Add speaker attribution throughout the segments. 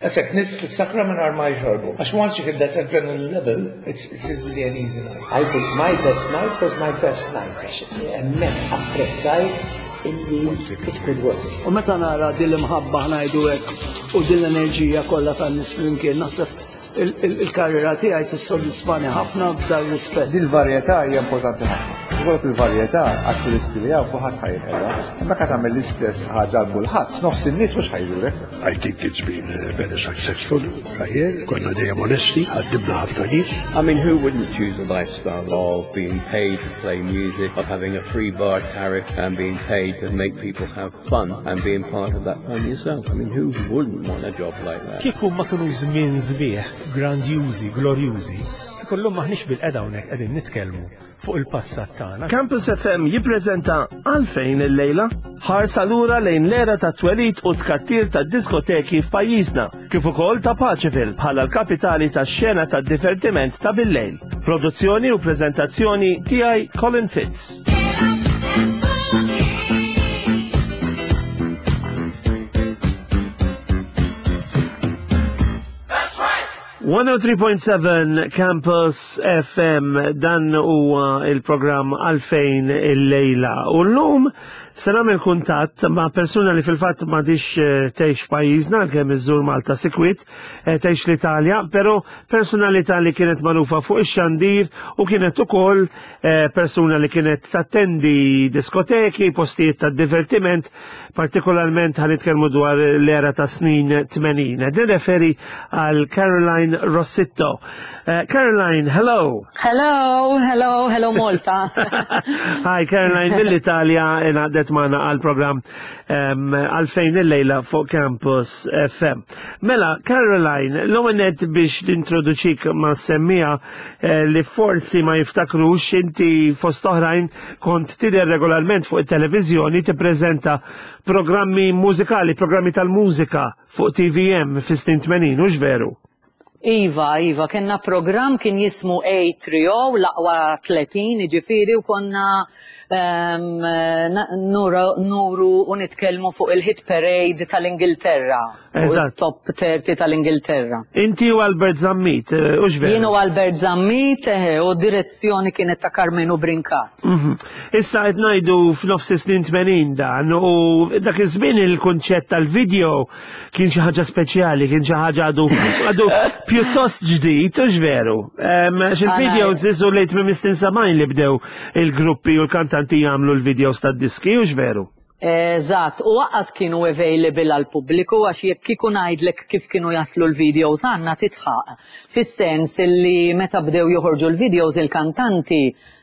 Speaker 1: Għasek nis fis-sakra mingħajr ma jxorbu. Għax once you hit that adrenaline level, it's, it's really an easy night.
Speaker 2: I think my best night was my first night. Għax hemmhekk apprezzajt illi it could work.
Speaker 3: U meta nara din l-imħabba ngħidu hekk u din l-enerġija kollha tan-nies flimkien naħseb il-karriera tiegħi tissodisfani ħafna f'dan rispett.
Speaker 4: Dil-varjetà hija importanti ħafna. Ikollok il-varjetà għat-turisti li hawn kulħadd ħa jinħela. Imma ka tagħmel l-istess ħaġa għal kulħadd, nofs in-nies mhux ħa jżurek.
Speaker 5: I think it's been a very successful career. Konna dejjem onesti, ħaddimna ħafna nies.
Speaker 6: I mean, who wouldn't choose a lifestyle of being paid to play music, of having a free bar tariff and being paid to make people have fun and being part of that fun yourself? I mean, who wouldn't want a job like that?
Speaker 7: Kieku ma kienu żmien sbieħ, grandjużi, glorjużi, kieku llum m'aħniex bilqiegħda hawnhekk qegħdin nitkellmu fuq il-passat tagħna.
Speaker 8: Campus FM jippreżenta Għalfejn illejla? Ħarsa lura lejn l-era ta' twelid u tkattir ta' diskoteki f'pajjiżna, kif ukoll ta' Paceville bħala l-kapitali tax-xena tad-divertiment ta' billejl. Produzzjoni u preżentazzjoni tiegħi Colin Fitz. 103.7 Campus FM dan huwa il-programm għalfejn il-lejla. U llum se nagħmel kuntatt ma' persuna li fil-fatt m'għadix eh, tgħix f'pajjiżna għalkemm iżżur Malta sikwit, eh, tgħix l-Italja, però personalità li kienet magħrufa fuq ix-xandir u kienet ukoll eh, persuna li kienet tattendi diskoteki, postijiet ta' divertiment, partikolarment ħa nitkellmu dwar l-era ta' snin 80. Nirreferi għal Caroline Rossitto. Uh, Caroline, hello.
Speaker 9: Hello, hello, hello Malta.
Speaker 8: Hi, Caroline mill-Italja ingħaqdet magħna għal programm għalfejn il-lejla fuq Campus FM. Mela, Caroline, l-ewwel biex nintroduċik ma' semmija eh, li forsi ma jiftakrux inti fost oħrajn kont tidher regolarment fuq it-televiżjoni tippreżenta programmi mużikali, programmi tal-mużika fuq TVM fis-snin 80, hux veru?
Speaker 9: Iva, Iva, kellna programm kien jismu A3O, l-aqwa 30, ġifieri, u konna um, nuru, nuru u nitkellmu fuq il-hit parade tal-Ingilterra.
Speaker 8: Eżatt.
Speaker 9: Top 30 tal-Ingilterra.
Speaker 8: Inti u Albert Zammit, eh, hux veru?
Speaker 9: Jien u Albert Zammit, eh, u direzzjoni kienet ta' Karmenu Brincat.
Speaker 8: Mhm. Issa qed ngħidu f'nofs is-snin 80 dan u dak iż-żmien il-kunċett tal-video kien xi ħaġa speċjali, kien xi ħaġa għadu għadu pjuttost ġdid, hux veru. Em, X'il-videos isu lejt minn snin 70 li bdew il-gruppi u l-kantanti jagħmlu l-videos tad-diski, hux veru?
Speaker 9: Eżatt, u lanqas kienu available għal pubbliku għax jekk kieku ngħidlek kif kienu jaslu l-videos għandna titħaq. Fis-sens li meta bdew joħorġu l-videos il-kantanti,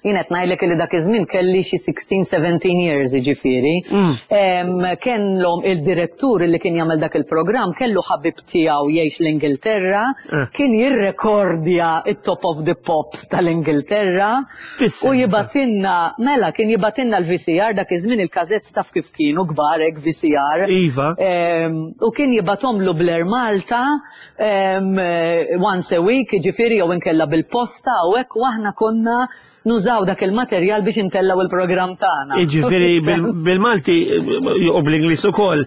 Speaker 9: jien qed ngħidlek li dak iż-żmien kelli xi 16-17 years jiġifieri. Em, Kellhom il-direttur li kien jagħmel dak il-programm kellu ħabib tiegħu jgħix l-Ingilterra,
Speaker 8: Eh.
Speaker 9: kien jirrekordja it-Top of the Pops tal-Ingilterra
Speaker 8: Fis-sens.
Speaker 9: u jibgħatilna, mela kien jibgħatilna l-VCR dak iż-żmien il-cassettes taf kif kienu kbar hekk VCR.
Speaker 8: Iva.
Speaker 9: Em, U kien jibgħathomlu bl-Air Malta em, eh, once a week, ġifieri jew inkella bil-posta u hekk u aħna konna nużaw dak il-materjal biex intellaw il-programm tagħna.
Speaker 8: Iġifieri bil-Malti u bl-Ingliż ukoll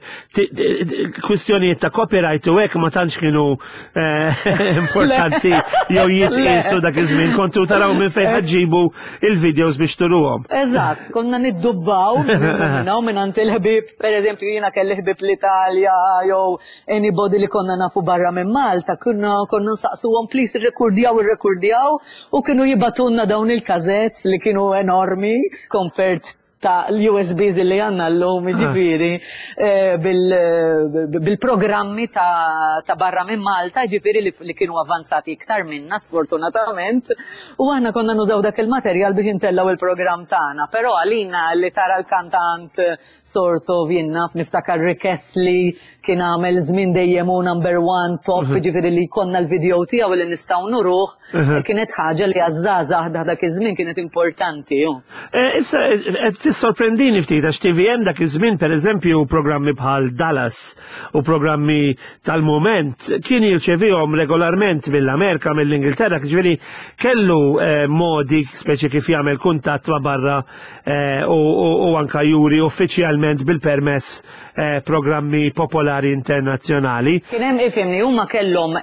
Speaker 8: kwistjonijiet ta' copyright u hekk ma tantx kienu eh, importanti jew jitqiesu dak iż-żmien kontu taraw minn fejn ħa ġġibu il-videos biex turuhom.
Speaker 9: Eżatt, konna niddubbaw minn minn għand il-ħbib, per eżempju jiena kelli ħbib l-Italja jew anybody li konna nafu barra minn Malta, konna konna nsaqsuhom please irrekordjaw irrekordjaw u kienu jibgħatulna dawn il-cassettes li kienu enormi compared ta' l-USBs li għandna llum, ġifieri, eh, bil-programmi ta' ta' barra minn Malta, ġifieri li li kienu avanzati iktar minna, sfortunatament, u aħna konna nużaw dak il-materjal biex intellaw il-programm tagħna. Però għalina li tara l-kantant sort of jien naf niftakar Rick Astley kien għamel żmien dejjem u number one top, ġifieri li konna l-video tiegħu li nistgħu nuruh, kienet ħaġa li għaż-żgħażagħ dak iż-żmien kienet importanti. ju.
Speaker 8: Eh, Issa, eh, qed Tissorprendini ftit għax TVM dak iż-żmien pereżempju programmi bħal Dallas u programmi tal-mument kien jirċevihom regolarment mill-Amerika, mill-Ingilterra, ġifieri kellu eh, modi speċi kif jagħmel kuntatt ma' barra eh, u anka juri uffiċjalment bil-permess eh, programmi popolari internazzjonali.
Speaker 9: Kien hemm ifhimni huma kellhom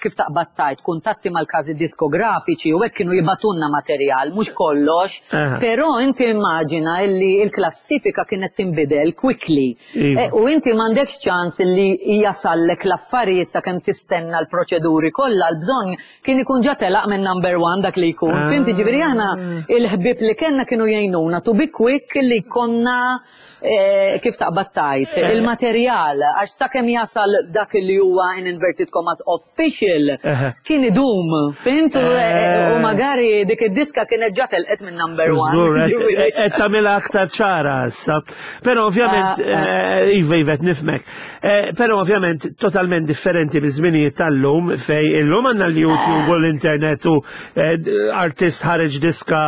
Speaker 9: kif taqbad tgħid kuntatti mal-każi diskografiċi u hekk kienu jibgħatulna materjal, mhux kollox, però inti immaġina illi l-klassifika kienet tinbidel quickly. Iva. U inti m'għandekx ċans li jasallek l-affarijiet sakemm tistenna l-proċeduri kollha, l-bżonn kien ikun ġa telaq minn number one dak li jkun. Ah. Fhimt, ġifieri aħna il-ħbieb li kellna kienu jgħinuna to be quick li konna eh, kif taqbad tajt, eh. il-materjal, għax sakemm jasal dak li huwa in inverted commas official, kien idum, fhimt, u eh, magari dik id-diska kienet ġa telqet minn number one.
Speaker 8: Żgur, qed tagħmilha aktar ċara issa. Però ovvjament, ah, ah. iva, iva, nifmek. Eh, però ovvjament totalment differenti biż-żminijiet tal-lum fej illum għandna l-YouTube u l-internet u eh, artist ħareġ diska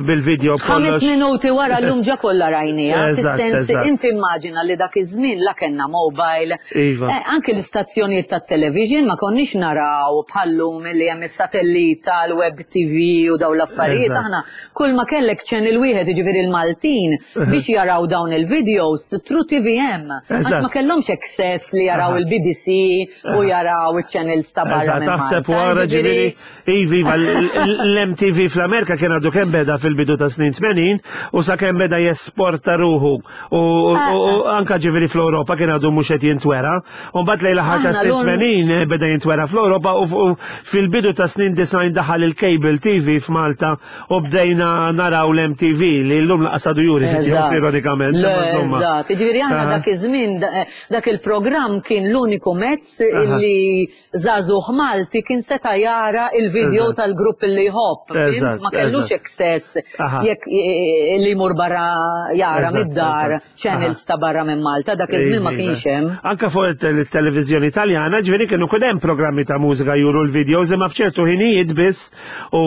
Speaker 8: bil-video
Speaker 9: kollox. Minuti wara llum ġa kollha rajnija. Fis-sens inti immaġina li dak iż-żmien la kellna mobile. Iva. Eh, anki l-istazzjonijiet tat-television ma konniex naraw bħallum li hemm is-satellita, l-web TV u dawn l-affarijiet aħna kull ma kellek channel wieħed jiġifieri l-Maltin biex jaraw dawn il-videos through TVM. Għax ma kellhomx access li jaraw il-BBC u jaraw iċ-channels ta' barra.
Speaker 8: Taħseb wara ġifieri ivi iva, l-MTV fl-Amerika kien għadu kemm beda fil-bidu ta' snin 80 u sakemm beda jesporta ruħu u anka ġifieri fl-Ewropa kien għadu mhux qed jintwera. U mbagħad lejn l-aħħar ta' snin 80 beda jintwera fl-Ewropa u fil-bidu ta' snin 90 daħal il-cable TV f'Malta U bdejna naraw l-MTV li llum laqas għadu juri videos ironikament.
Speaker 9: Eżatt, jiġifieri aħna dak iż-żmien dak il-programm kien l-uniku mezz li żagħżugħ Malti kien seta' jara il-video tal-grupp li jħobb. Ma kellux access jekk li jmur barra jara mid-dar channels ta' barra minn Malta, dak iż-żmien ma kienx hemm.
Speaker 8: Anka fuq it-televiżjoni Taljana, ġifieri kienu kien hemm programmi ta' mużika juru l-videos imma f'ċertu ħinijiet biss U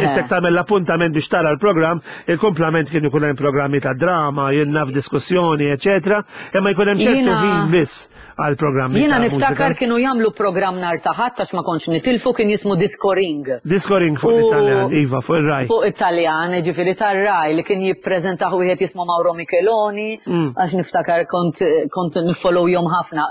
Speaker 8: issek tagħmel l-appuntament biex tara l-programm, il-kumplament kien ikun hemm programmi ta' drama, jien naf diskussjoni, eċetera, imma jkun hemm ċertu ħin biss għal programmi.
Speaker 9: Jiena niftakar kienu jagħmlu programm nhar ta' Ħadd għax ma kontx nitilfu kien jismu Discoring.
Speaker 8: Discoring fuq l-Italjan, iva, fuq ir-Raj.
Speaker 9: Fuq Italjan, ġifieri tar-Raj li kien jippreżentah wieħed jismu Mauro Micheloni, mm. għax niftakar kont kont jom ħafna.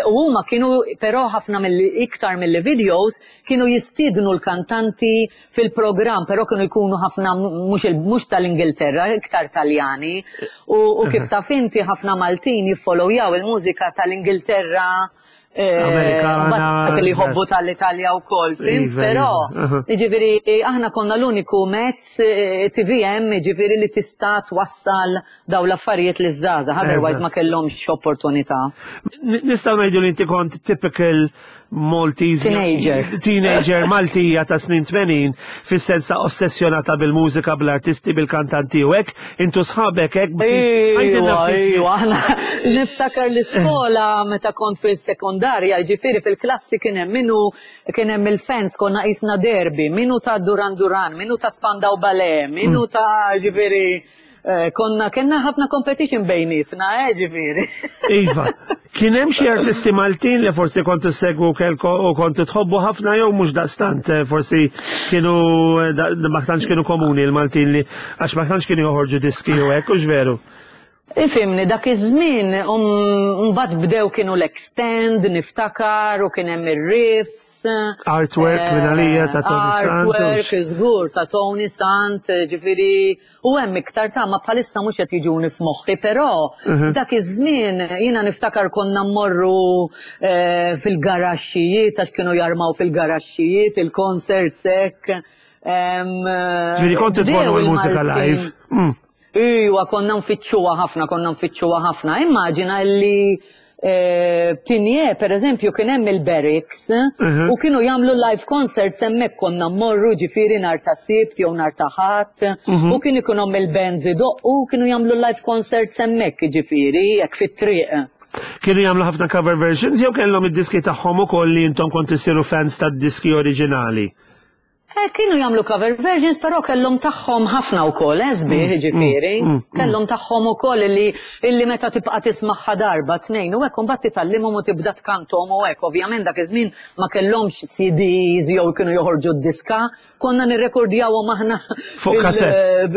Speaker 9: U huma kienu però ħafna mill iktar mill-videos Kienu jistiednu l-kantanti fil-programm, però kienu jkunu ħafna mhux tal-Ingilterra, iktar Taljani. U kif taf inti ħafna Maltin jiffollowjaw il-mużika tal-Ingilterra eh,
Speaker 8: Amerikana.
Speaker 9: Li jħobbu tal-Italja wkoll, fhimt? Iva, però, iva. jiġifieri aħna konna l-uniku mezz eh, TVM, jiġifieri li tista' twassal dawn l-affarijiet liż-żgħażagħ, otherwise ma kellhomx opportunità.
Speaker 8: Nistgħu ngħidu li inti kont typical Maltese
Speaker 9: Teenager.
Speaker 8: Teenager Maltija ta' snin 80 fis-sens ta' ossessjonata bil-mużika, bl-artisti, bil-kantanti u hekk, intu sħabek hekk.
Speaker 9: Ejwa, ejwa, aħna niftakar l-iskola meta kont fil-sekondarja, ġifieri fil-klassi kien hemm minnu kien hemm il-fans konna qisna derby, minnu ta' Duran Duran, minnu ta' Spandau Ballet, minnu ta' ġifieri Eh, konna kellna ħafna competition bejnietna, eh, ġifieri.
Speaker 8: Iva, kien hemm xi artisti Maltin li forsi kontu segwu kelko u kontu tħobbu ħafna jew mhux daqstant, eh, forsi kienu eh, ma tantx kienu komuni l-Maltin li għax ma tantx kienu joħorġu diski u hekk, hux veru?
Speaker 9: Ifimni, dak iż-żmien um, mbagħad bdew kienu l-extend, niftakar, u kien hemm ir-riffs.
Speaker 8: Artwork minn għalija ta' Tony Sant.
Speaker 9: Artwork, żgur, ta' Tony Sant, ġifieri U hemm iktar ta' ma bħalissa mhux qed jiġuni f'moħħi, però mhm. dak iż-żmien jiena niftakar konna mmorru eh, fil-garaxxijiet għax kienu jarmaw fil-garaxxijiet il-concerts hekk.
Speaker 8: Ġifieri kont tmorru l-mużika live. Mm.
Speaker 9: Iwa, konna nfittxuha ħafna, konna nfittxuha ħafna. Immaġina li Eh, Tinje, per eżempju, kien hemm il-barracks mhm. u kienu jagħmlu live concerts hemmhekk konna mmorru ġifieri nhar ta' Sibt jew nhar ta' Ħadd mhm. u kien ikun hemm il-bands idoqqu kienu jagħmlu live concerts hemmhekk ġifieri hekk fit-triq.
Speaker 8: Kienu jagħmlu ħafna cover versions jew kellhom id-diski tagħhom ukoll li intom kont issiru fans tad-diski oriġinali?
Speaker 9: Eh, kienu jagħmlu cover versions, però kellhom tagħhom ħafna wkoll, eh, sbieħ ġifieri. Kellhom tagħhom ukoll illi illi meta tibqa' tismagħha darba tnejn u hekk imbagħad titgħallimhom u tibda tkanthom u hekk. Ovvjament dak iż-żmien ma kellhomx CDs jew kienu joħorġu d-diska, konna nirrekordjawhom aħna
Speaker 8: Fuq kassett.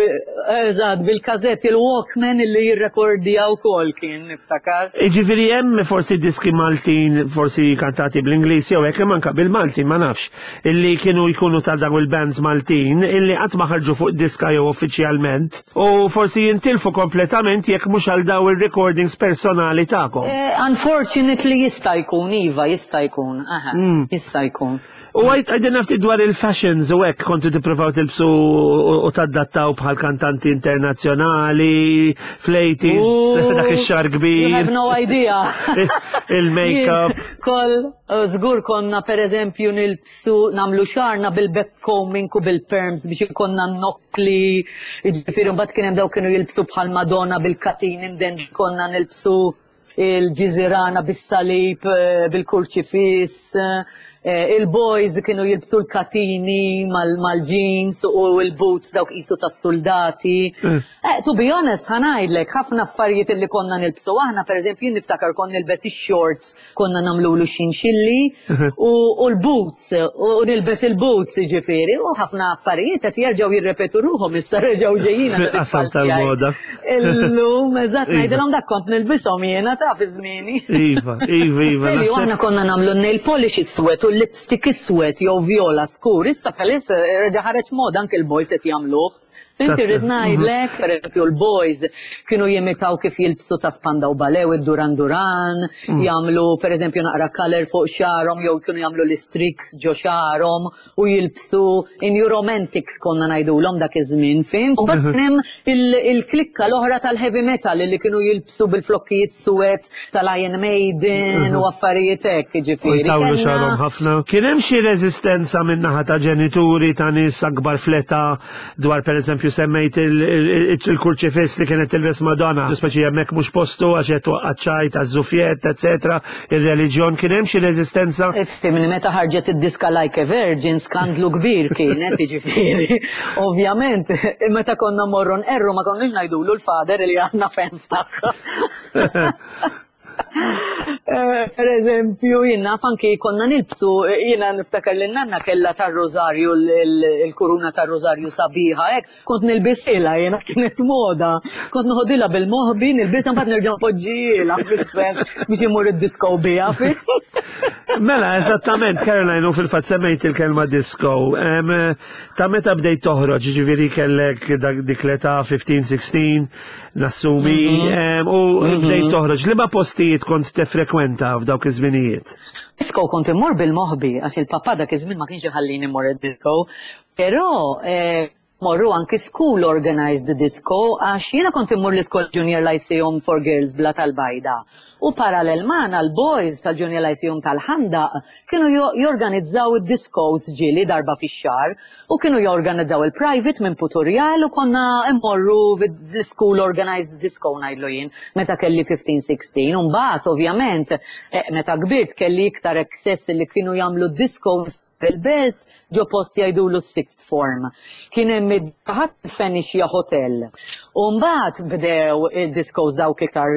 Speaker 9: Eżatt, bil-kassett il-Walkman illi jirrekordja wkoll kien niftakar.
Speaker 8: Jiġifieri hemm forsi diski Maltin, forsi kantati bl-Ingliż jew hekk, imma anke bil-Malti ma nafx, illi kienu jkunu ta' dawn il-bands Maltin illi qatt ma ħarġu fuq diska jew uffiċjalment u forsi jintilfu kompletament jekk mhux għal dawn ir-recordings personali tagħkom.
Speaker 9: Unfortunately jista' jkun, iva, jista' jkun, aha, jista' jkun.
Speaker 8: U għidilna ftit dwar il-fashions u hekk kontu tippruvaw tilbsu u tadattaw bħal kantanti internazzjonali fl-80s, dak ix-xagħar kbir.
Speaker 9: You have no idea.
Speaker 8: Il-makeup.
Speaker 9: Kol, żgur konna pereżempju nilbsu nagħmlu xagħarna bil-backcombing u bil-perms biex ikollna n-nokkli, jiġifieri mbagħad kien hemm dawk kienu jilbsu bħal Madonna bil-katini mdendli konna nilbsu il-ġiżirana bis-salib, bil-kurċifiss, il-boys kienu jilbsu l-katini mal-jeans u l-boots dawk qisu tas-suldati. To be honest, ħa ngħidlek, ħafna affarijiet li konna nilbsu aħna, pereżempju jien niftakar kont nilbes ix-shorts konna nagħmlulu xinxilli u l-boots u nilbes il-boots jiġifieri u ħafna affarijiet qed jerġgħu jirrepetu ruħhom issa reġgħu ġejjin.
Speaker 8: Fil-qasam tal-moda.
Speaker 9: Illum, eżatt, ngħidilhom dak kont nilbishom jiena ta' fi żmieni.
Speaker 8: Iva, iva, iva.
Speaker 9: Aħna konna nagħmlu nail polish iswed u lipstick iswed jew vjola skur, issa bħalissa reġa' ħareġ moda anke l-boys qed jagħmluh. Inti rrid ngħidlek, pereżempju l-boys kienu jimitaw kif jilbsu ta' Spandau Ballet u d-Duran Duran, jagħmlu pereżempju naqra colour fuq xagħarhom jew kienu jagħmlu l-istreaks ġo xagħarhom u jilbsu in-New Romantics konna ngħidulhom dak iż-żmien, fhimt? U mbagħad kien hemm il-klikka l-oħra tal-heavy metal li kienu jilbsu bil-flokkijiet suwed tal-Iron Maiden u affarijiet hekk, jiġifieri.
Speaker 8: U jtawlu xagħarhom ħafna. Kien hemm xi reżistenza min-naħa ta' ġenituri ta' nies akbar fl-età dwar pereżempju semmejt il-kurċifiss li kienet tilbes Madonna, speċi hemmhekk mhux postu għax qed twaqqa' ċajt għaż-żufjett, eċetera, ir-reliġjon, kien hemm xi reżistenza?
Speaker 9: Ifhimni, meta ħarġet id-diska Like a Virgin skandlu kbir kienet, jiġifieri. Ovvjament, meta konna mmorru nqerru ma konniex ngħidulu l-father li aħna fans tagħha. Eh, per eżempju, jien naf anki konna nilbsu, jiena niftakar li nanna kella tar-rożarju, il-kuruna tar-rożarju sabiħa, hekk, kont nilbisilha jiena kienet moda. Kont noħodilha bil-moħbi, nilbisha mbagħad nerġa' npoġġihielha fis-sens biex imur id-disco biha.
Speaker 8: Mela, eżattament, Caroline, u fil-fatt semmejt il-kelma disco. Ta' meta bdejt toħroġ, ġifieri kellek dik l-età 15-16, nassumi, mhm. u mhm. bdejt toħroġ. Liema postijiet kont tefrekwenta f'dawk iż-żminijiet?
Speaker 9: Disco kont immur bil-moħbi, għax il-papà dak iż-żmien ma kienx iħallini mmur id-disco. Però eh, morru anki school organized disco għax jiena kont immur l-iskola Junior Lyceum for Girls bla tal-bajda. U parallel magħna l-boys tal-Junior Lyceum tal-Ħandaq kienu jorganizzaw id-discos ġieli darba fix-xahar U kienu jorganizzaw il-private minn Puturjal u konna immorru l-school organized disco ngħidlu jien meta kelli 15-16. U mbagħad ovvjament eh, meta kbirt kelli iktar access li kienu jagħmlu disco fil-belt ġo post jgħidulu sixth form. Kien hemm id-ħadd Fenixia Hotel. U mbagħad bdew id-discos dawk iktar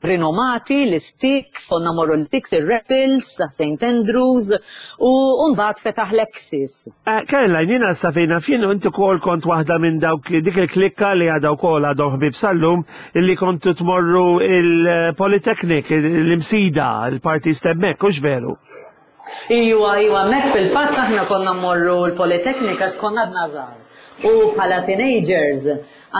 Speaker 9: rinomati, l-Sticks, konna morru l-Sticks, ir-Raffles, St. Andrews, u mbagħad fetaħ l-Axis.
Speaker 8: Eh, Caroline, jiena sa fejn naf jien inti wkoll kont waħda minn dawk dik il-klikka li għadha wkoll għadhom ħbieb sal-lum illi kontu tmorru il-Polytechnic, l-Imsida, il-parties t'hemmhekk, hux veru?
Speaker 9: Iwa, iwa, hemmhekk fil-fatt aħna konna mmorru l-Polytechnic għax konna għadna żgħar. U bħala teenagers,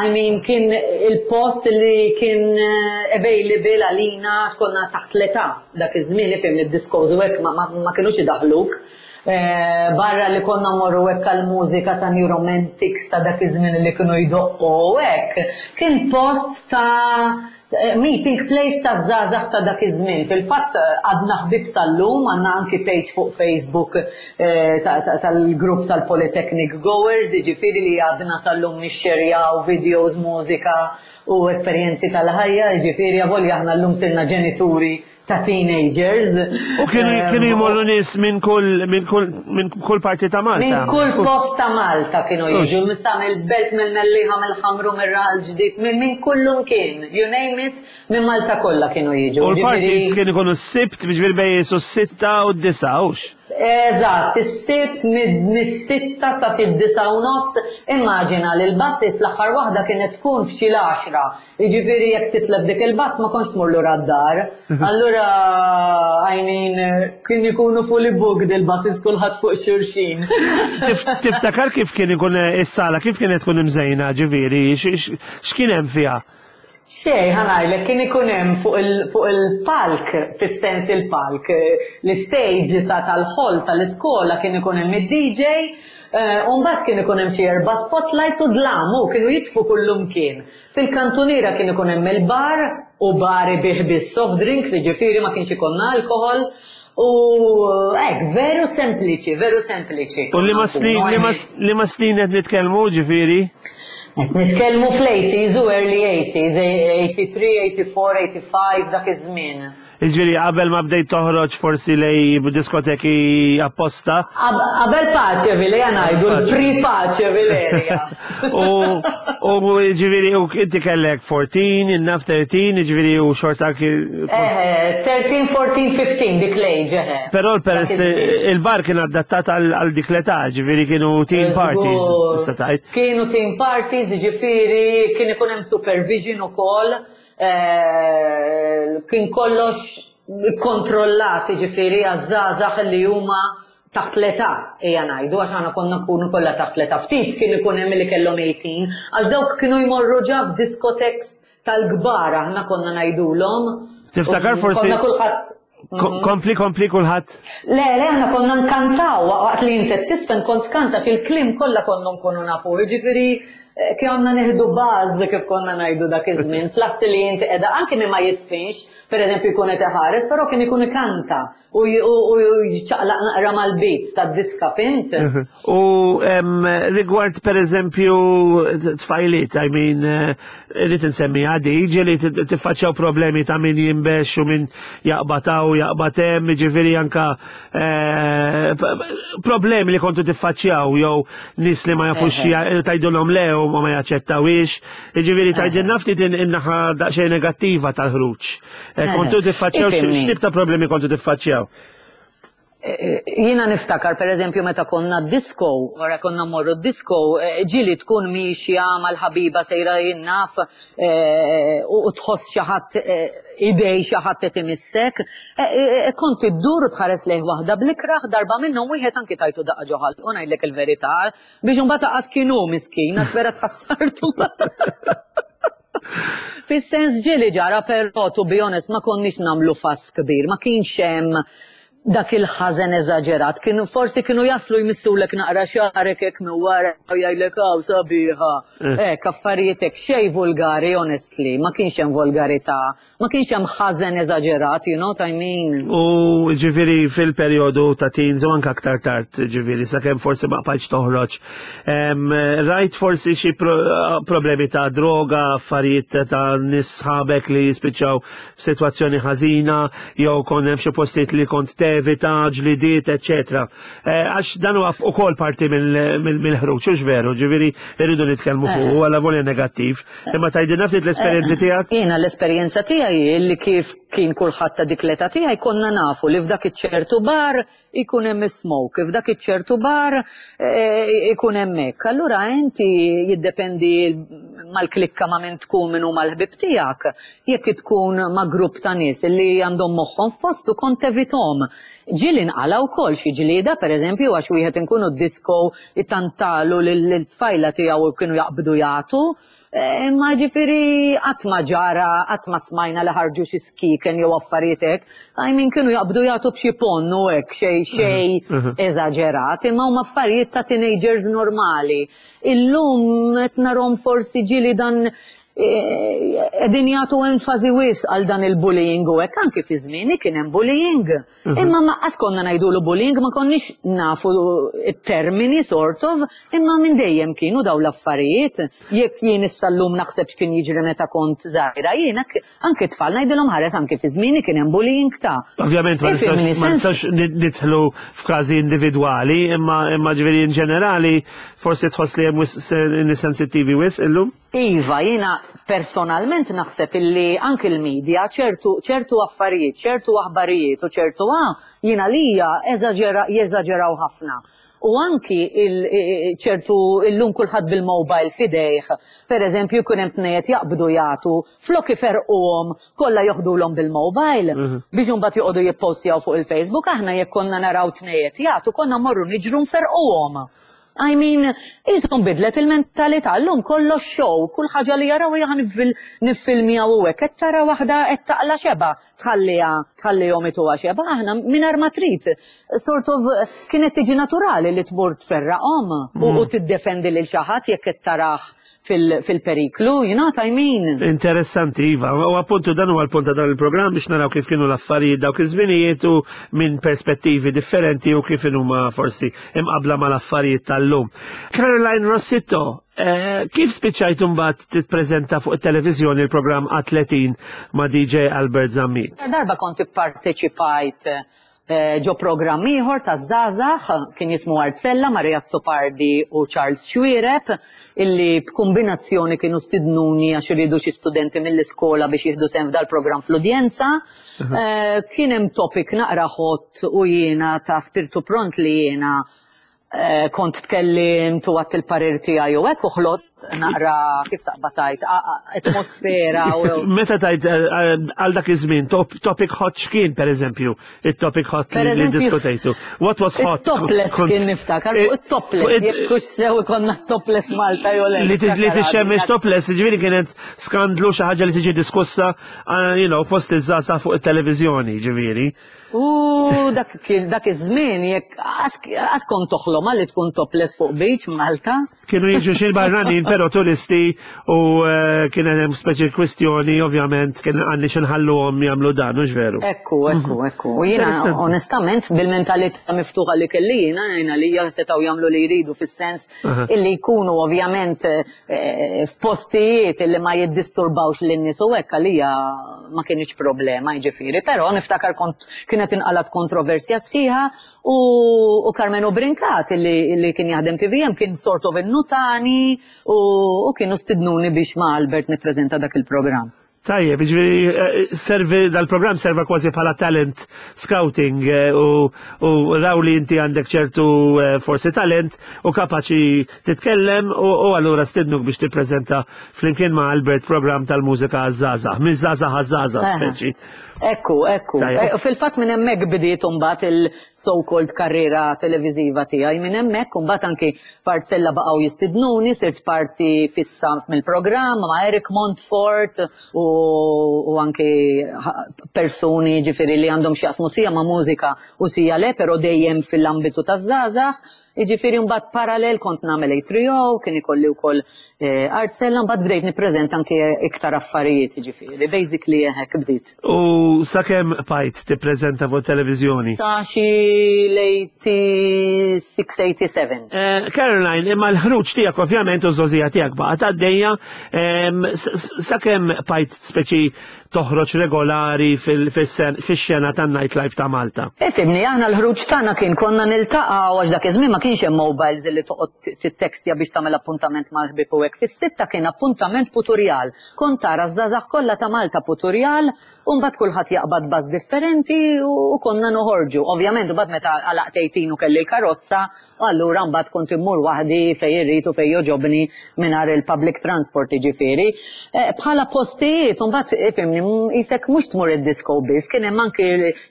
Speaker 9: I mean kien il-post li kien eh, available għalina għax konna taħt l-età dak iż-żmien ifhem li d-discos u hekk ma, ma, ma kinux idaħħluk. Eh, barra li konna mmorru hekk għall-mużika ta' New Romantics ta' dak iż-żmien li kienu jdoqqu u hekk, kien post ta' eh, meeting place ta' żgħażagħ ta' dak iż-żmien. Fil-fatt għadna ħbieb sal-lum, għandna anki page fuq Facebook eh, tal-grupp tal-Polytechnic Goers, jiġifieri li għadna sal-lum nixxerjaw videos, mużika u esperjenzi tal-ħajja, jiġifieri avolja aħna llum sirna ġenituri ta' teenagers.
Speaker 8: U kienu kienu jmorru nies minn kull minn kull minn kull parti ta' Malta.
Speaker 9: Minn kull post ta' Malta kienu jiġu, sa mill-Belt, mill-Mellieħa, mill-Ħamrun, mir-Raħal Ġdid, minn kullumkien, you name it, minn Malta kollha kienu jiġu.
Speaker 8: U l-parties kienu jkunu s-Sibt, jiġifieri bejn su s-sitta u d-disgħa, hux?
Speaker 9: Eżatt, is-Sibt mis-sitta sa xi d-disgħa u nofs, immaġina li l-buses l-aħħar waħda kienet tkun f'xi l-għaxra, jiġifieri jekk titlef dik il-bus ma kontx tmur lura d-dar. Allura, I mean, kien ikunu fully booked il-buses kulħadd fuq xulxin.
Speaker 8: Tiftakar kif kien ikun is-sala, kif kienet tkun imżejna, ġifieri, x'kien hemm fiha?
Speaker 9: Xejn, ħa ngħidlek, kien ikun hemm fuq il, fuq il-palk, fis-sens il-palk, l-istage ta' tal-hall tal-iskola kien ikun hemm id-DJ, u mbagħad kien ikun hemm xi erba' spotlights u dlam, u kienu jitfu kullumkien. Fil-kantuniera kien ikun hemm il-bar, u bar ibigħ biss soft drinks, jiġifieri ma kienx ikollna alkoħol, u hekk, veru sempliċi, veru sempliċi.
Speaker 8: U liema snin, liema, liema snin qed nitkellmu, ġifieri?
Speaker 9: Qed nitkellmu fl-80s u early 80s, 83, 84, 85, dak iż-żmien.
Speaker 8: Jiġifieri qabel ma bdejt toħroġ forsi lej diskoteki apposta?
Speaker 9: Qabel Paceville, ejja ngħidu, l-pre-Paceville area.
Speaker 8: U jiġifieri u inti kellek 14, innaf 13, jiġifieri u xorta
Speaker 9: Eħe, 13, 14, 15 dik l-age, eħe.
Speaker 8: Però peress il-bar kien adattat għal dik l-età, ġifieri kienu teen parties, tista' tgħid.
Speaker 9: Kienu teen parties, ġifieri kien ikun hemm supervision ukoll, kien kollox kontrollat, ġifieri għaż-żgħażagħ li huma taħt l-età, ejja ngħidu, għax aħna konna nkunu kollha taħt l-età. Ftit kien ikun hemm li kellhom 18, għax dawk kienu jmorru ġa f'diskoteks tal-kbar aħna konna ngħidulhom.
Speaker 8: Tiftakar forsi.
Speaker 9: Konna kulħadd.
Speaker 8: Kompli, kompli kulħadd.
Speaker 9: Le, le, aħna konna nkantaw waqt li inti tisfen kont kanta fil-kliem kollha konna nkunu nafu. Jiġifieri eh, konna nieħdu baż kif konna ngħidu dak iż-żmien, plus li inti qiegħda anke min ma jisfinx, pereżempju jkun qed iħares, però kien ikun ikanta. U jċaqlaq naqra mal-beats tad-diska, fhimt?
Speaker 8: U rigward per eżempju tfajliet, I mean, eh, irrid insemmi għadi, ġieli tiffaċċjaw problemi ta' min jinbex u min jaqbad hawn, jaqbad hemm, ġifieri anka eh, problemi li kontu tiffaċċjaw jew nies li ma jafux tgħidulhom le u ma jaċċettawhiex. Ġifieri tgħidilna ftit in-naħa daqsxejn negattiva tal-ħruġ. Eh, kontu tiffaċċjaw, x'tip ta' problemi kontu tiffaċċjaw?
Speaker 9: Eh, eh, jiena niftakar per eżempju meta konna disco, wara konna morru disco, ġili tkun miexja mal-ħabiba sejra jinnaf u tħoss xi ħadd idej xi ħadd qed imissek, kont iddur u tħares lejh waħda bl-ikrah darba minnhom wieħed anki tajtu daqqa ġo ħalqu ngħidlek il-verità, biex imbagħad aqas kien hu miskin għax vera tħassartu. Fis-sens ġieli ġara però to be honest ma konniex nagħmlu fuss kbir, ma kienx hemm dak il-ħażen eżaġerat. Kienu forsi kienu jaslu jmissulek naqra xagħrek hekk minn wara u jgħidlek hawn sabiħa. Eh. Hekk affarijiet hekk xejn vulgari honestly, ma kienx hemm volgarità. Ma kienx hemm ħażen eżaġerat, you know what I mean?
Speaker 8: U ġifieri fil-perjodu ta' teens u anke aktar tard, ġifieri sakemm forsi ma qbajtx toħroġ. Rajt forsi xi problemi ta' droga, affarijiet ta' nies sħabek li jispiċċaw f'sitwazzjoni ħażina, jew kont hemm xi postijiet li kont tevita, ġlidiet, eċċetera. Eh, għax dan huwa ukoll parti mill-ħruġ, hux veru, ġifieri rridu nitkellmu fuq eh. għala volja negattiv. Imma tgħidilna ftit l-esperjenzi eh, tiegħek?
Speaker 9: Jiena l-esperjenza tiegħi li kif kien kulħadd ta' dik l-età tiegħi konna nafu li f'dak iċ-ċertu bar ikun hemm smoke, f'dak iċ-ċertu bar ikun hemm hekk. Allura inti jiddependi mal-klikka ma' min tkun min huma l-ħbieb tiegħek. Jekk tkun ma' grupp ta' nies li għandhom moħħhom f'postu kont tevithom. Ġieli nqala' wkoll xi ġlieda, pereżempju, għax wieħed inkunu d-disco itantalu lil-tfajla tiegħu u kienu jaqbdu jagħtu. Imma ġifieri qatt ma ġara, qatt ma smajna li ħarġu xi skieken jew affarijiet hekk. I mean kienu jaqbdu jagħtu b'xi ponn u hekk xejn xejn eżaġerat, imma huma affarijiet ta' teenagers normali. Illum qed narhom forsi ġieli dan. Qegħdin jagħtu enfasi wisq għal dan il-bullying u hekk anki fi żmieni kien hemm bullying. Imma ma qas konna ngħidulu bullying, ma konniex nafu t-termini sort of, imma minn dejjem kienu dawn l-affarijiet. Jekk jien issa llum naħseb x'kien jiġri meta kont żgħira, jien anki t-tfal ngħidilhom ħares anki fi żmieni kien hemm bullying ta'.
Speaker 8: Ovvjament ma nistax nidħlu f'każi individwali, imma ġifieri in ġenerali forsi tħoss li hemm wisq nies sensittivi wisq illum?
Speaker 9: Iva, jiena personalment naħseb illi anki l-media ċertu ċertu affarijiet, ċertu aħbarijiet u ċertu a, jien għalija eżaġera jeżaġeraw ħafna. U anki il ċertu illum kulħadd bil-mobile f'idejh, per eżempju jkun hemm tnejn qed jaqbdu jagħtu, flok iferrquhom kollha joħdulhom bil-mobile biex imbagħad joqogħdu jippostjaw fuq il-Facebook, aħna jekk konna naraw tnejn qed jagħtu konna mmorru niġru nferrquhom. I mean, qisha nbidlet il-mentalità, llum kollox show, kull ħaġa li jaraw hija ħa niffilmjaw u hekk, qed tara waħda qed taqla' xebgħa, tħalliha, tħallihom ituha xebgħa, aħna mingħajr ma trid, sort of kienet tiġi naturali li tmur tferraqhom u tiddefendi lil xi ħadd jekk qed tarah fil-periklu, you know what I mean?
Speaker 8: Interessanti, Iva. U appuntu dan huwa l-punt ta' dan il-programm biex naraw kif kienu l-affarijiet dawk iż-żminijiet u minn perspettivi differenti u kif huma forsi imqabla mal-affarijiet tal-lum. Caroline Rossitto, eh, kif spiċċajt imbagħad titpreżenta fuq it-televiżjoni l-programm A30 ma' DJ Albert Zammit?
Speaker 9: Darba kont ipparteċipajt Ġo programm ieħor taż-żgħażagħ, kien jismu Artsella ma' Ray Azzopardi u Charles Xuereb, illi b'kumbinazzjoni kienu stidnuni għax iridu xi studenti mill-iskola biex jieħdu sehem f'dal-programm fl-udjenza. Kien hemm topic naqra hot u jiena ta' spirtu pront li jiena kont tkellimt u għadt il-parir tiegħi u hekk u ħlodt naqra kif taqbad tgħid atmosfera u
Speaker 8: Meta tgħid għal dak iż-żmien topic hot x'kien pereżempju it-topic hot li diskutejtu. What was hot?
Speaker 9: Topless kien niftakar fuq it-topless jekk hux sew ikollna topless Malta jew le.
Speaker 8: Li tixxemmex topless, ġifieri kienet skandlu xi ħaġa li tiġi diskussa you know, fost iż-żgħażagħ fuq it-televiżjoni, ġifieri.
Speaker 9: U dak dak iż-żmien jekk qas kont toħlom li tkun topless fuq beach Malta.
Speaker 8: Kienu jiġu xi barranin però turisti u eh, kien hemm speċi kwistjoni ovvjament kien għandni xi nħalluhom jagħmlu dan hux veru.
Speaker 9: Ekku, ekku, mhm. ekku. U jiena onestament bil-mentalità miftuħa li kelli jiena jiena li setgħu jagħmlu li jridu fis-sens illi jkunu ovvjament eh, f'postijiet illi ma jiddisturbawx lin-nies u hekk għalija ma kinitx problema jiġifieri, però niftakar kont kienet inqalgħet kontroversja sħiħa u, u Karmenu Brincat illi, illi kien jaħdem TVM kien sort of innutani u, u kienu stidnuni biex ma' Albert nippreżenta dak il-programm.
Speaker 8: Tajjeb, jiġifieri eh, servi dal-programm serva kważi bħala talent scouting eh, u, u raw li inti għandek ċertu eh, forsi talent u kapaċi titkellem u, u allura stidnuk biex tippreżenta flimkien ma' Albert programm tal-mużika għaż-żgħażagħ, minn żgħażagħ għaż-żgħażagħ speċi.
Speaker 9: Ekku, ekku. Fil-fatt minn hemmhekk bdiet imbagħad il-so-called karriera televiżiva tiegħi minn hemmhekk imbagħad anki F'Artsella baqgħu jistidnuni, sirt parti fissa mill-programm ma' Eric Montfort u, u anki persuni ġifieri li għandhom x'jaqsmu sija ma' mużika u sija le, però dejjem fil-ambitu taż-żgħażagħ. Jiġifieri mbagħad parallel kont nagħmel A3O, kien ikolli wkoll eh, Artsella, mbagħad bdejt nippreżenta anki iktar affarijiet, jiġifieri, basically hekk bdiet.
Speaker 8: U sakemm bqajt tippreżenta fuq it-televiżjoni?
Speaker 9: Sa xi l-86, 87.
Speaker 8: Eh, Caroline, imma l-ħruġ tiegħek ovvjament u ż-żogħżija tiegħek baqgħet għaddejja, sakemm bqajt speċi toħroġ regolari fix-xena tan-nightlife ta' Malta?
Speaker 9: Ifhimni, aħna l-ħruġ tagħna kien konna niltaqgħu għax dak iż-żmien ma kienx hemm mobiles li toqgħod tittekstja biex tagħmel appuntament mal-ħbieb u hekk. Fis-sitta kien appuntament puturjal. Kont tara ż-żgħażagħ kollha ta' Malta Puturjal u mbagħad kulħadd jaqbad bus differenti u konna noħorġu. Ovvjament imbagħad meta għalaqt 18 u kelli l-karozza, allura mbagħad kont immur waħdi fejn irrid u fejn jogħġobni mingħajr il-public transport jiġifieri. Bħala postijiet imbagħad ifhimni qisek mhux tmur id-disco biss, kien hemm anki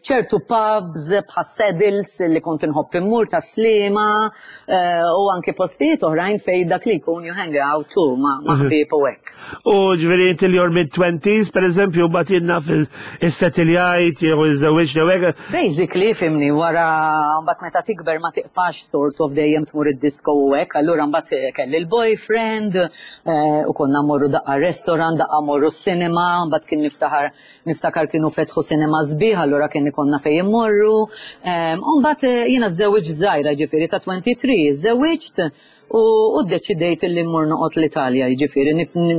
Speaker 9: ċertu pubs bħas-Saddles li kont inħobb immur tas-Sliema u anki postijiet oħrajn fejn dak li jkun you hang out u ma' ħbieb u hekk.
Speaker 8: U ġifieri inti li your mid-twenties, per eżempju, mbagħad jiena Issetiljajt jew iżżewwiġt jew hekk.
Speaker 9: Basically, fimni, wara mbagħad meta tikber ma tiqpax sort of dejjem tmur id-disco u hekk, allura mbagħad eh, kelli l-boyfriend eh, u konna mmorru daqqa restaurant, daqqa mmorru s-cinema, mbagħad kien niftaħar niftakar kienu fetħu cinema sbieħ, allura kien ikollna fejn immorru. U mbagħad eh, jiena żżewwiġt żgħira ġifieri ta' 23, żżewwiġt u ddeċidejt li mmur noqgħod l-Italja, jiġifieri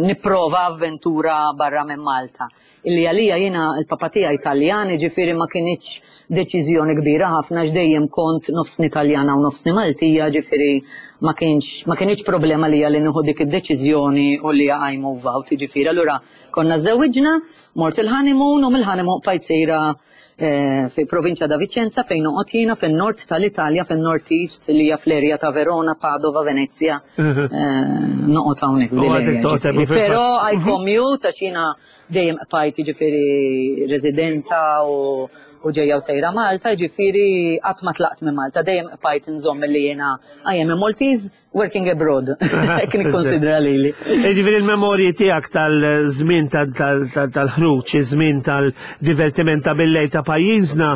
Speaker 9: nipprova avventura barra minn Malta. Illi għalija jiena l-papa tiegħi Taljan, jiġifieri ma kinitx deċiżjoni kbira ħafna għax dejjem kont nofsni Taljana u nofsni Maltija, jiġifieri ma kienx ma kinitx problema għalija li nieħu dik id-deċiżjoni u li I move out, jiġifieri allura konna żżewwiġna, mort il-honeymoon u mill-honeymoon bqajt sejra eh, fi provinċja da Vicenza fejn noqgħod jiena fin-nord tal-Italja, fin-North East li hija fl-erja ta' Verona, Padova, Venezia. Eh, noqgħod hawnhekk. Però I mhm. commute għax jiena dejjem qbajt jiġifieri residenta u u ġejja u sejra Malta, ġifieri qatt ma tlaqt minn Malta, dejjem qbajt nżomm li jiena I am a Maltese Working abroad, hekk nikkonsidra lili.
Speaker 8: Jiġifieri l-memorji tiegħek tal-żmien tal-ħruġ, iż-żmien tal-divertiment ta' billejl ta' pajjiżna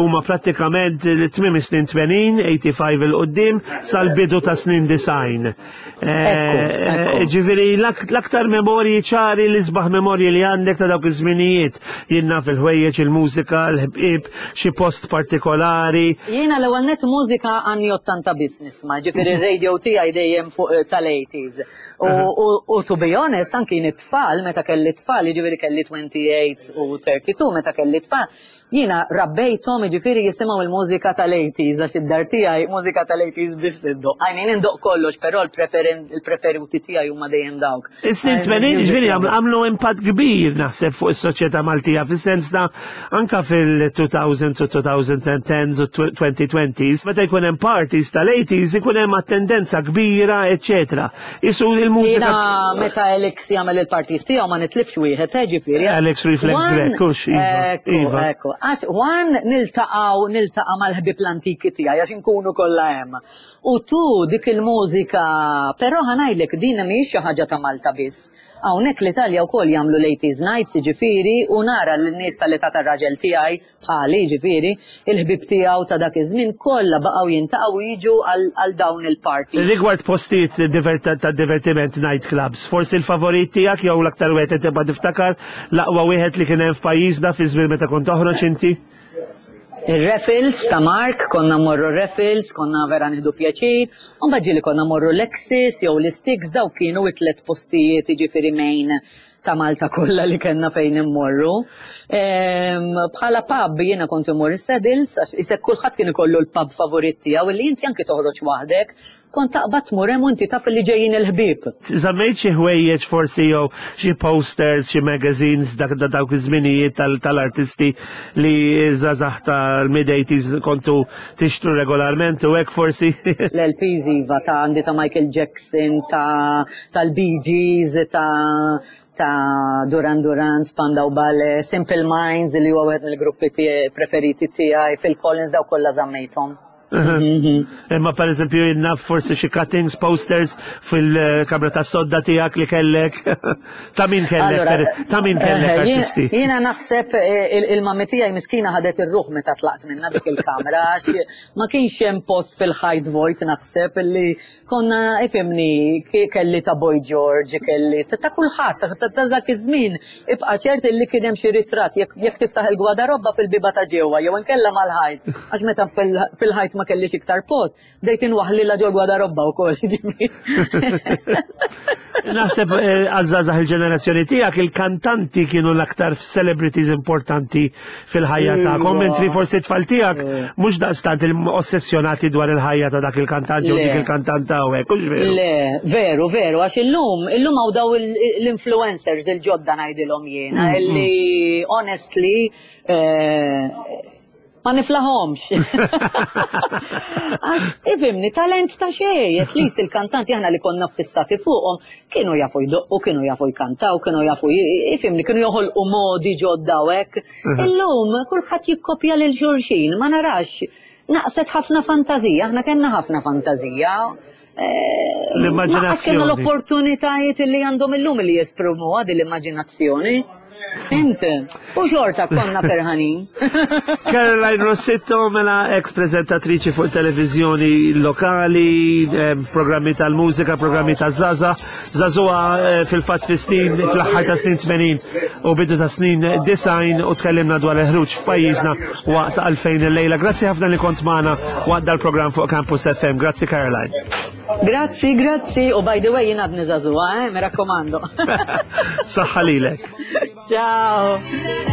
Speaker 8: huma prattikament tmiem is-snin 80, 85 il quddiem sal-bidu ta' snin 90. Eh, ġifieri l-aktar memorji ċari l-isbaħ memorji li għandek ta' dawk iż-żminijiet jien naf il-ħwejjeġ, il-mużika, l-ħbieb, xi post partikolari.
Speaker 9: Jiena l-ewwel nett mużika anni 80 biss nisma', ġifieri r-radio tiegħi dejjem fuq eh, tal-80s. U to be honest, anki it-tfal, meta kelli tfal, jiġifieri kelli 28 u 32 meta kelli tfal, jiena rabbejthom jiġifieri jisimgħu il-mużika tal-80s għax id-dar tiegħi mużika tal-80s biss iddoq. I mean indoq kollox, però l-preferuti tiegħi huma dejjem dawk.
Speaker 8: Is-snin 80 ġifieri għamlu impatt kbir naħseb fuq is-soċjetà Maltija fis-sens ta' anka fil-2000s u 2010s u 2020s meta jkun hemm parties tal-80s ikun hemm attendenza kbira, eċċetera. Isu il-mużika.
Speaker 9: Jiena meta Alex jagħmel il-parties tiegħu ma nitlifx wieħed, eh, ġifieri.
Speaker 8: Alex Reflex Grek, hux iva. Iva.
Speaker 9: Ekku, għax one niltaqgħu niltaqa' mal-ħbieb l-antiki tiegħi għax inkunu kollha hemm. U tu dik il-mużika, però ħa ngħidlek din mhijiex xi ħaġa ta' Malta biss. Hawnhekk l-Italja wkoll jagħmlu l-eighties nights jiġifieri u nara lin-nies tal-età tar-raġel tiegħi, bħali jiġifieri, il-ħbieb tiegħu ta' dak iż-żmien kollha baqgħu jintaqgħu u jiġu għal dawn il-parties.
Speaker 8: Rigward postijiet ta' divertiment night clubs, forsi l-favorit tiegħek jew l-aktar wieħed li tibqa' tiftakar, l-aqwa wieħed li kien hemm f'pajjiżna fi żmien meta kont toħroġ inti?
Speaker 9: Ir-Raffles ta' Mark, konna mmorru r-Raffles, konna vera nieħdu pjaċir, u mbagħad ġieli konna mmorru l-Axis jew l-Istix, dawk kienu it-tliet postijiet jiġifieri main ta' Malta kollha li kellna fejn immorru. Bħala pub jiena kont immur is-Saddles, għax isek kulħadd kien ikollu l-pub favorit tiegħu illi inti anki toħroġ waħdek, Kont taqbad tmur hemm u inti taf li ġejjin il-ħbieb.
Speaker 8: Żammejt xi ħwejjeġ forsi jew xi posters, xi magazines dak ta' dawk iż-żminijiet tal-artisti li żgħażagħ tal-mid-80s kontu tixtru regolarment u hekk forsi?
Speaker 9: L-LPs iva ta' għandi ta' Michael Jackson, ta' tal-Bee Gees, ta' ta' Duran Duran, Spandau Ballet, Simple Minds li huwa wieħed mill-gruppi preferiti tiegħi, Phil Collins dawk kollha żammejthom.
Speaker 8: Mhm. Imma per eżempju jinnaf forsi xi cuttings, posters fil-kamra ta' sodda tiegħek li kellek. Ta' min kellek, ta' min kellek eh, artisti.
Speaker 9: Jiena naħseb eh, il-mammi tiegħi miskina ħadet ir-ruħ meta tlaqt minna dik il-kamra għax ma kienx hemm post fil-ħajt vojt naħseb li konna ifimni kelli ta' Boy George, kelli ta' kulħadd ta' dak iż-żmien Ibqa' ċert illi kien hemm xi ritratt jekk tiftaħ il-gwadarobba fil-bieba ta' ġewwa jew inkella mal-ħajt, għax meta fil-ħajt ma kellix iktar post, bdejt inwaħħlilha ġol-gwadarobba wkoll, jiġifieri.
Speaker 8: Naħseb eh, għaż-żgħażagħ il-ġenerazzjoni tiegħek il-kantanti kienu l-aktar celebrities importanti fil-ħajja tagħkom, mentri forsi t-tfal tiegħek mhux daqstant ossessjonati dwar il-ħajja ta' dak il-kantant jew dik il-kantanta u hekk, hux veru?
Speaker 9: Le, veru, veru, għax illum, illum hawn daw l-influencers il-ġodda ngħidilhom jiena, mm, illi mm. honestly eh, ma niflaħomx. Għax, ifimni, talent ta' xej, at least il-kantanti aħna li konna fissati fuqhom, kienu jafu jdoqqu, kienu jafu jkantaw, kienu jafu ifimni, kienu joħolqu modi ġodda u hekk. Mhm. Illum kulħadd jikkopja lil xulxin, ma narax. Naqset ħafna fantazija, aħna kellna ħafna fantazija. Eh,
Speaker 8: L-immaġinazzjoni.
Speaker 9: Kellna l-opportunitajiet li għandhom illum li jesprimu għadi l-immaġinazzjoni. Fhimt? U xorta konna ferħanin.
Speaker 8: Caroline Rossitto mela ex prezentatriċi fuq televizjoni lokali, eh, programmi tal-mużika, programmi taż-żaza, żagħżugħa eh, fil-fatt fi snin fl-aħħar ta' snin 80 u bidu ta' snin 90 u tkellimna dwar il-ħruġ f'pajjiżna waqt għalfejn il-lejla. Grazzi ħafna li kont magħna waqt dal-programm fuq Campus FM. Grazzi Caroline.
Speaker 9: Grazzi, grazzi. U by the way, jien għadni żagħżugħa, eh? Mi rakkomando.
Speaker 8: Saħħa lilek.
Speaker 9: Ciao.